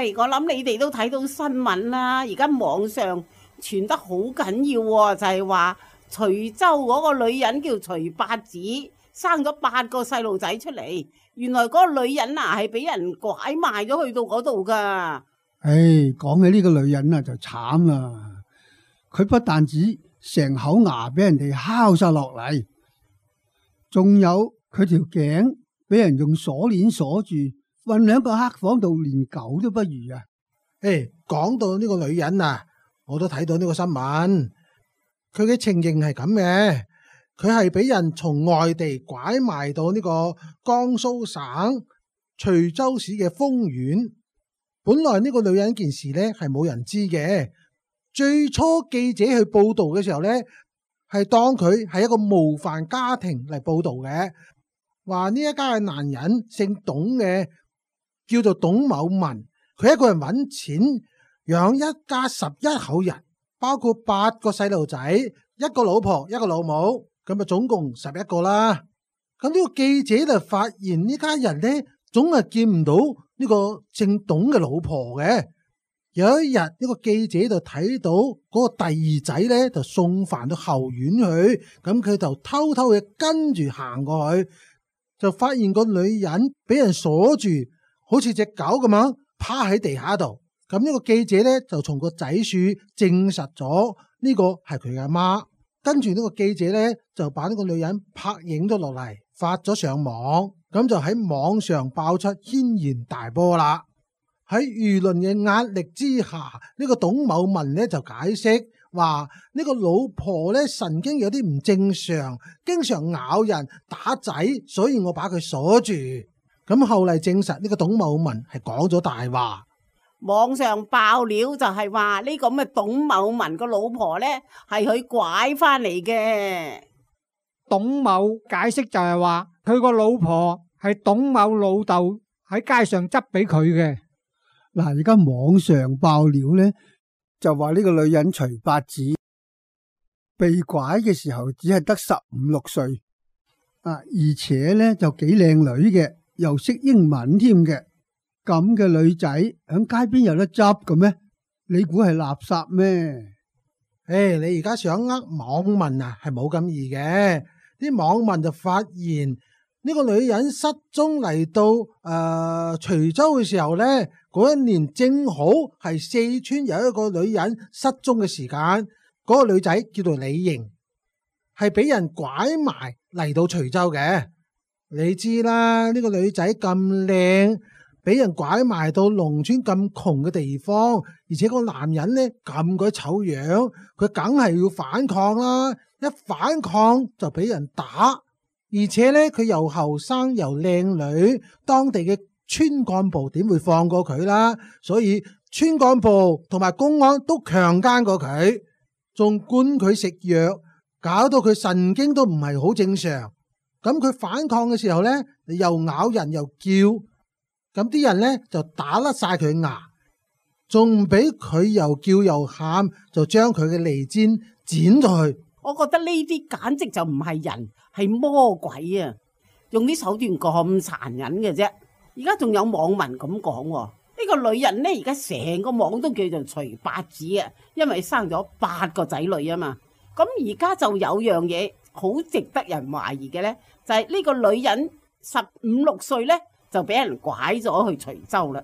喂，我諗你哋都睇到新聞啦，而家網上傳得好緊要喎，就係話徐州嗰個女人叫徐八子，生咗8個細路仔出嚟，原來嗰個女人啊係俾人拐賣咗去到嗰度噶。講起呢個女人啊就慘啦，佢不但止成口牙俾人哋敲晒落嚟，仲有佢條頸俾人用鎖鏈鎖住，韞喺個黑房度，連狗都不如啊！講到呢個女人啊，我都睇到呢個新聞，佢嘅情形係咁嘅，佢係俾人從外地拐賣到呢個江蘇省徐州市嘅豐縣。本來呢個女人件事呢係冇人知嘅，最初記者去報道嘅時候呢，係當佢係一個模範家庭嚟報道嘅，話呢一家嘅男人姓董嘅，叫做董某文，佢一個人揾錢養一家11口人，包括8個細路仔，1個老婆1個老母，咁啊總共11個啦。咁呢個記者就發現呢家人呢，總係見唔到呢個姓董嘅老婆嘅。有一日呢個記者就睇到嗰個第二仔呢，就送飯到後院去，咁佢就偷偷嘅跟住行過去，就發現個女人俾人鎖住，好似隻狗咁樣趴喺地下度。咁呢個記者呢，就從個仔處證實咗呢個係佢嘅阿媽。跟住呢個記者呢，就把呢個女人拍影咗落嚟，發咗上網，咁就喺網上爆出軒然大波啦。喺輿論嘅壓力之下，呢個董某文呢就解釋話呢個老婆呢神經有啲唔正常，經常咬人打仔，所以我把佢鎖住。咁後嚟證實呢個董某文係講咗大話。網上爆料就係話呢個咁嘅董某文個老婆呢係佢拐翻嚟嘅。董某解釋就係話佢個老婆係董某老豆喺街上執俾佢嘅。嗱，而家網上爆料呢，就話呢個女人徐八子被拐嘅時候只係得15、16歲，而且呢就幾靚女嘅，又識英文添嘅。咁嘅女仔響街邊有得執嘅咩？你估係垃圾咩？你而家想網民啊，係冇咁易嘅。啲網民就發現呢個女人失蹤嚟到徐州嘅時候呢，嗰一年正好係四川有一個女人失蹤嘅時間。嗰個女仔叫做李瑩，係俾人拐埋嚟到徐州嘅。你知啦，呢個女仔咁靚，俾人拐埋到農村咁窮嘅地方，而且個男人呢咁鬼醜樣，佢梗係要反抗啦。一反抗就俾人打，而且呢佢又後生又靚女，當地嘅村幹部點會放過佢啦？所以村幹部同埋公安都強姦過佢，仲灌佢食藥，搞到佢神經都唔係好正常。咁佢反抗嘅時候呢，又咬人又叫，咁啲人呢就打甩晒佢牙，仲唔俾佢又叫又喊，就將佢嘅脷尖剪咗去。我覺得呢啲簡直就唔係人，係魔鬼啊！用啲手段咁殘忍嘅啫。而家仲有網民咁講喎，呢個女人呢，而家成個網都叫做徐八子啊，因為生咗8個仔女啊嘛。咁而家就有樣嘢好值得人懷疑嘅呢，就係呢個女人15、16歲呢，就俾人拐咗去徐州啦。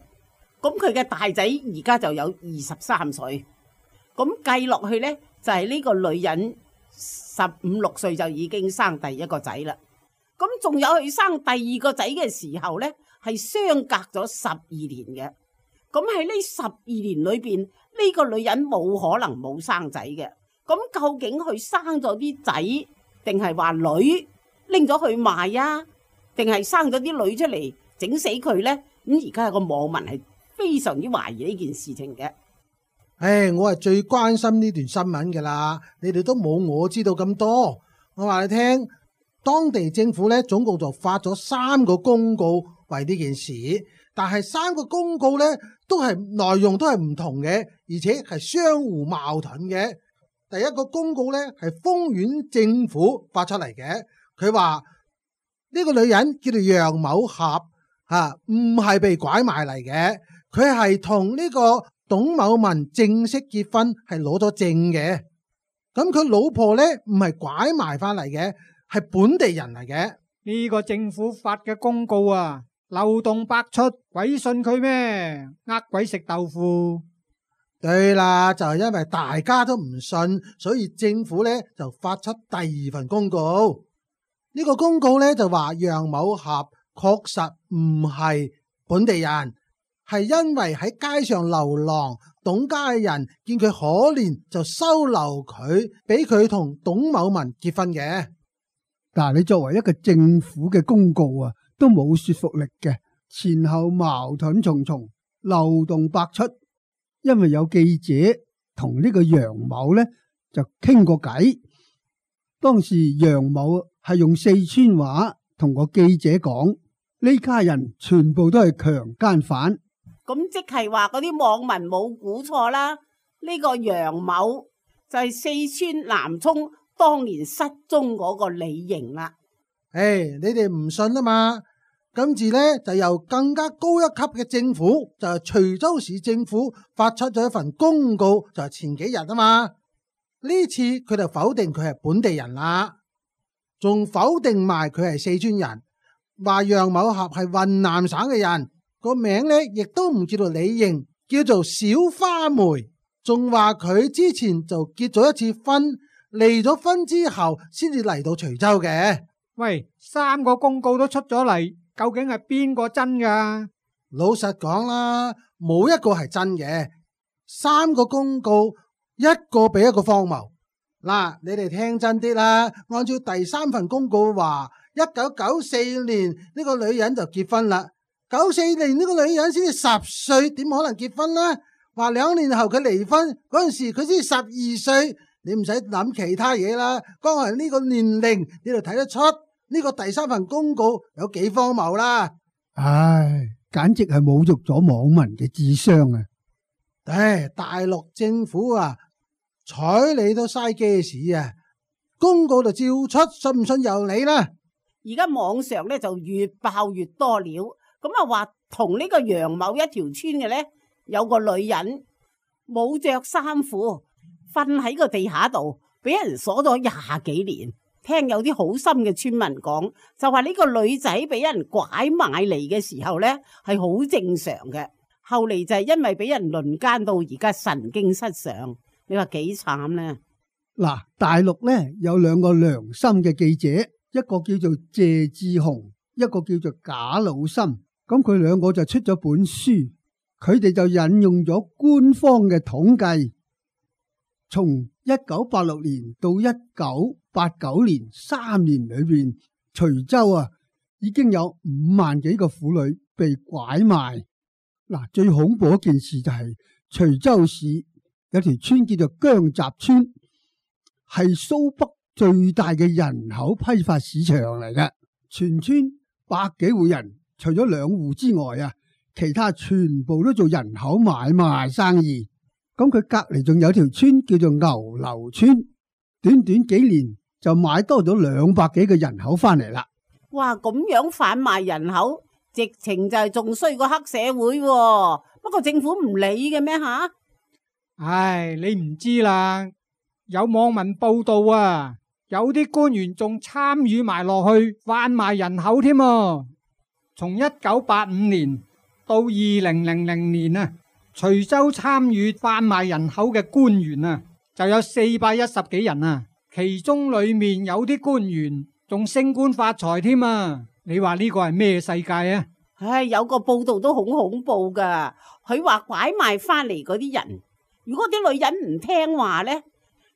咁佢嘅大仔而家就有23歲，咁計落去呢，就係呢個女人15、16歲就已經生第一個仔啦。咁仲有佢生第2個仔嘅時候呢，係相隔咗12年嘅。咁喺呢12年裏邊，呢個女人冇可能冇生仔嘅。咁究竟佢生咗啲仔，定係話女拎咗去賣啊？定係生咗啲女出嚟整死佢呢？咁而家有個網民係非常之懷疑呢件事情嘅。我係最關心呢段新聞噶啦，你哋都冇我知道咁多。我話你聽，當地政府呢總共就發咗3個公告為呢件事，但係3個公告呢都係內容都係唔同嘅，而且係相互矛盾嘅。第一個公告呢係豐縣政府發出嚟嘅，佢話呢個女人叫做楊某俠，唔係被拐賣嚟嘅。佢係同呢個董某文正式結婚，係攞咗證嘅。咁佢老婆呢，唔係拐埋翻嚟嘅，係本地人嚟嘅。呢個政府發嘅公告啊，漏洞百出，鬼信佢咩？呃鬼食豆腐。對啦，就係因為大家都唔信，所以政府呢就發出第二份公告。呢個公告呢就話楊某俠確實唔係本地人，係因為喺街上流浪，董家人見佢可憐就收留佢，俾佢同董某文結婚嘅。但係你作為一個政府嘅公告啊，都冇說服力嘅，前後矛盾重重，漏洞百出。因為有記者同呢個楊某呢就傾過偈，當時楊某係用四川話同個記者講，呢家人全部都係強姦犯。咁即係話嗰啲網民冇估錯啦，呢個楊某就係四川南充當年失蹤嗰個李瑩啦。你哋唔信啊嘛？今次呢，就由更加高一級嘅政府，就係徐州市政府發出咗一份公告，就係前幾日啊嘛。呢次佢就否定佢係本地人啦，仲否定埋佢係四川人，話楊某俠係雲南省嘅人。個名呢亦都唔叫做李瑩，叫做小花梅，仲話佢之前就結咗一次婚，離咗婚之後先至嚟到徐州嘅。喂，3個公告都出咗嚟，究竟係邊個真噶？老實講啦，冇一個係真嘅，3個公告一個比一個荒謬。嗱，你哋聽真啲啦，按照第3份公告話，1994年呢個女人就結婚啦。94年呢個女人先至10歲，點可能結婚呢？話2年後佢離婚嗰陣時，佢先12歲。你唔使諗其他嘢啦，光係呢個年齡你就睇得出呢個第3份公告有幾荒謬啦。唉，簡直係侮辱咗網民嘅智商啊！大陸政府啊，睬你都嘥嘅事啊！公告就照出，信唔信由你啦。而家網上咧就越爆越多料。咁啊，話同呢個楊某一條村嘅呢，有個女人冇着衫褲，瞓喺個地下度，俾人鎖咗20幾年。聽有啲好心嘅村民講，就話呢個女仔俾人拐賣嚟嘅時候呢，係好正常嘅。後嚟就係因為俾人輪姦到而家神經失常，你話幾慘呢？嗱，大陸呢有2個良心嘅記者，一個叫做謝志雄，一個叫做賈老森。咁佢2個就出咗本書，佢哋就引用咗官方嘅統計，從1986年到1989年3年裏邊，徐州啊已經有5萬幾個婦女被拐賣。嗱，最恐怖一件事就係徐州市有條村叫做姜集村，係蘇北最大嘅人口批發市場嚟嘅，全村100幾戶人。除咗2戶之外啊，其他全部都做人口買賣生意。咁佢隔籬仲有條村叫做牛樓村，短短幾年就買多咗200幾個人口翻嚟啦。哇，咁樣販賣人口，直情就係仲衰過黑社會喎。不過政府唔理嘅咩吓？唉，你唔知啦。有網民報道啊，有啲官員仲參與埋落去販賣人口添啊。從1985年到2000年啊，徐州參與販賣人口嘅官員啊，就有410幾人啊。其中裏面有啲官員仲升官發財添啊！你話呢個係咩世界啊？唉，有個報道都好恐怖噶，佢話拐賣翻嚟嗰啲人，如果啲女人唔聽話呢，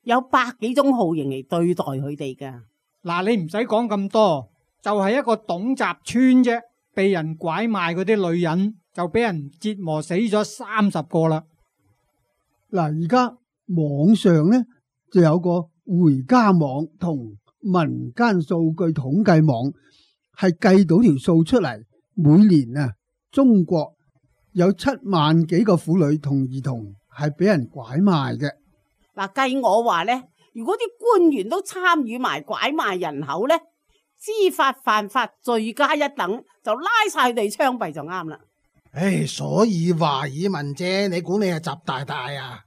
有100幾種酷刑嚟對待佢哋噶。嗱，你唔使講咁多，就係一個董集村啫。被人拐賣嗰啲女人就俾人折磨死咗30個啦。嗱，而家網上呢就有個回家網同民間數據統計網，係計到條數出嚟，每年啊中國有7萬幾個婦女同兒童係俾人拐賣嘅。嗱，計我話呢，如果啲官員都參與埋拐賣人口呢，知法犯法罪加一等，就拉晒佢哋槍斃就啱啦。所以話爾問啫，你估你係習大大啊？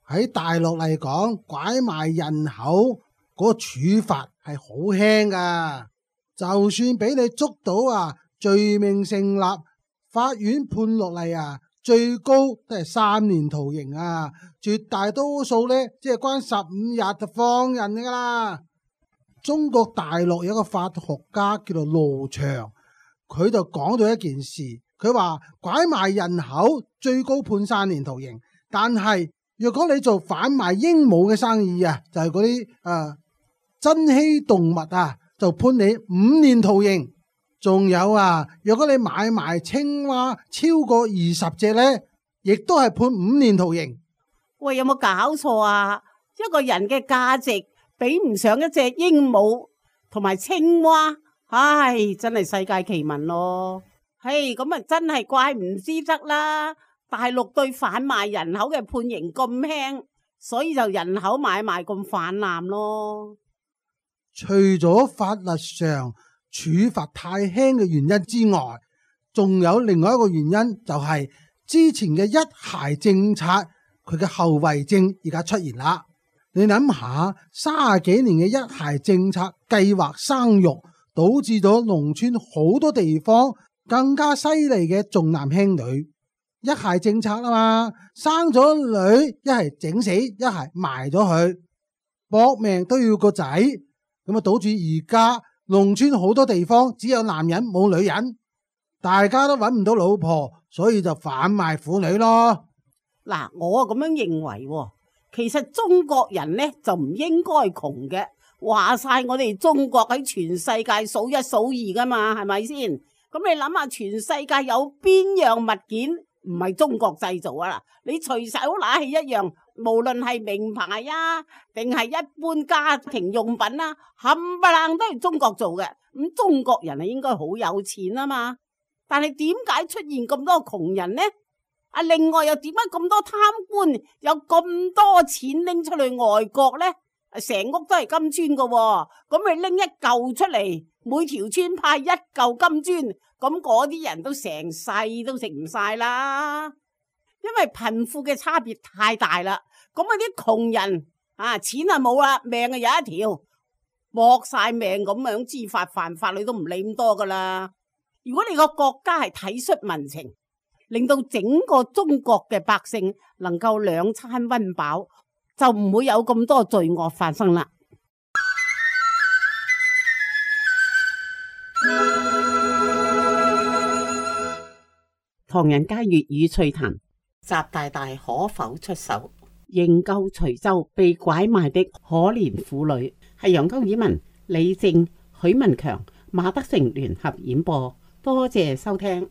喺大陸嚟講，拐賣人口嗰個處罰係好輕噶，就算俾你捉到啊，罪名成立，法院判落嚟啊，最高都係3年徒刑啊，絕大多數呢，即係關15日就放人噶啦。中國大陸有一個法學家叫做羅翔，佢就講到一件事，佢話拐賣人口最高判3年徒刑，但係若果你做販賣鸚鵡嘅生意啊，就係嗰啲珍稀動物啊，就判你5年徒刑。仲有啊，若果你買賣青蛙超過20隻呢，亦都係判5年徒刑。喂，有冇搞錯啊？一個人嘅價值比唔上一隻鸚鵡同埋青蛙，唉，真係世界奇聞咯。嘿，咁啊真係怪唔之得啦。大陸對販賣人口嘅判刑咁輕，所以就人口買賣咁泛濫咯。除咗法律上處罰太輕嘅原因之外，仲有另外一個原因，就係之前嘅一孩政策，佢嘅後遺症而家出現啦。你諗下，30幾年嘅一孩政策計劃生育，導致咗農村好多地方更加犀利嘅重男輕女。一孩政策啊嘛，生咗女一係整死，一係埋咗佢，搏命都要個仔，咁啊導致而家農村好多地方只有男人冇女人，大家都揾唔到老婆，所以就販賣婦女咯。嗱，我咁樣認為喎，其實中國人呢就唔應該窮嘅，話晒我哋中國喺全世界數1數2噶嘛，係咪先？咁你諗下，全世界有邊樣物件唔係中國製造啊？你隨手拿起一樣，無論係名牌啊，定係一般家庭用品啊，冚唪唥都係中國做嘅。咁中國人係應該好有錢啊嘛，但係點解出現咁多窮人呢？另外又點解咁多貪官有咁多錢拎出去外國呢？成屋都係金磚㗎，咁你拎一嚿出嚟，每條村派1嚿金磚，咁嗰啲人都成世都食唔晒啦。因為貧富嘅差別太大啦，咁啲窮人錢啊冇啦，命啊有一條，搏晒命咁樣知法犯法，你都唔理咁多噶啦。如果你個國家係體恤民情，令到整個中國嘅百姓能夠2餐溫飽，就唔會有咁多罪惡發生啦。唐人街粵語趣談，習大大可否出手營救徐州被拐賣的可憐婦女？係楊高爾文、李正、許文強、馬德成聯合演播，多謝收聽。